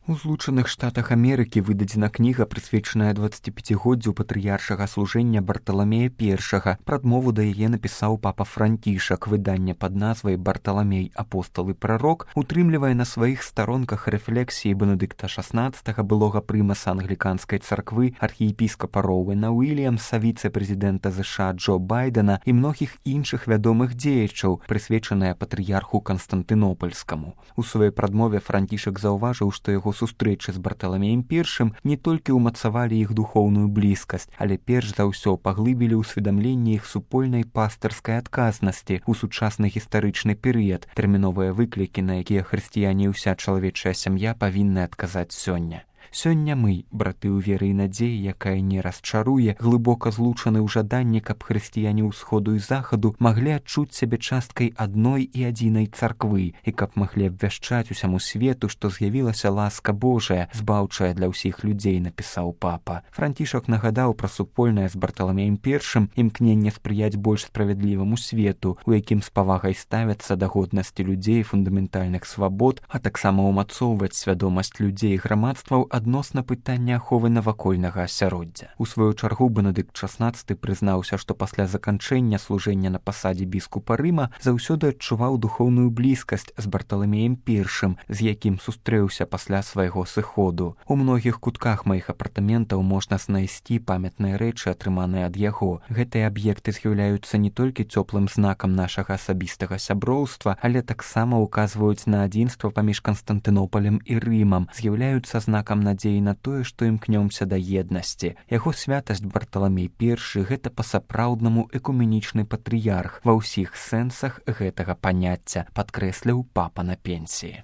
У Злучаных Штатах Амерыкі выдадзена кніга, прысвечаная 25годдзю патрыяршага служэння Барталамея I. Прадмову да яе напісаў папа Францішак. Выданне пад назвай «Барталамей, апостал і прарок» утрымлівае на сваіх старонках рэфлексіі Бенедыкта XVI, былога прымаса англіканскай царквы, архіепіскапа Роуэна Уільямса, віцэ-прэзідэнта ЗША Джо Байдена і многіх іншых вядомых дзеячаў, прысвечаныя патрыярху Канстантынопальскаму. У сваёй прадмове Францішак заўважыў, што яго сустрэчы з Барталамеем I не толькі ўмацавалі іх духоўную блізкасць, але перш за ўсё паглыбілі ўсведамленне іх супольнай пастырскай адказнасці ў сучасны гістарычны перыяд, тэрміновыя выклікі, на якія хрысціяне і ўся чалавечая сям'я павінны адказаць сёння. Сёння мы, браты ў веры і надзеі, якая не расчаруе, глыбока злучаны ў жаданні, каб хрысціяне ўсходу і захаду маглі адчуць сябе часткай адной і адзінай царквы, і каб маглі абвяшчаць усяму свету, што з'явілася ласка Божая, збаўчая для ўсіх людзей, напісаў папа. Францішак нагадаў пра супольнае з Барталамеем I імкненне спрыяць больш справядліваму свету, у якім з павагай ставяцца да годнасці людзей, фундаментальных свабод, а таксама ўмацоўваць свядомасць людзей і грамадстваў адносна пытання аховы навакольнага асяроддзя. У сваю чаргу Бенедыкт XVI прызнаўся, што пасля заканчэння служэння на пасадзе біскупа Рыма заўсёды адчуваў духоўную блізкасць з Барталамеем I, з якім сустрэўся пасля свайго сыходу. У многіх кутках маіх апартаментаў можна знайсці памятныя рэчы, атрыманыя ад яго. Гэтыя аб'екты з'яўляюцца не толькі цёплым знакам нашага асабістага сяброўства, але таксама ўказваюць на адзінства паміж Канстантынопалем і Рымам, з'яўляюцца знакам надзеі на тое, што імкнёмся да еднасці. Яго святасць Барталамей I – гэта па-сапраўднаму экуменічны патрыярх ва ўсіх сэнсах гэтага паняцця, падкрэсліў папа на пенсіі.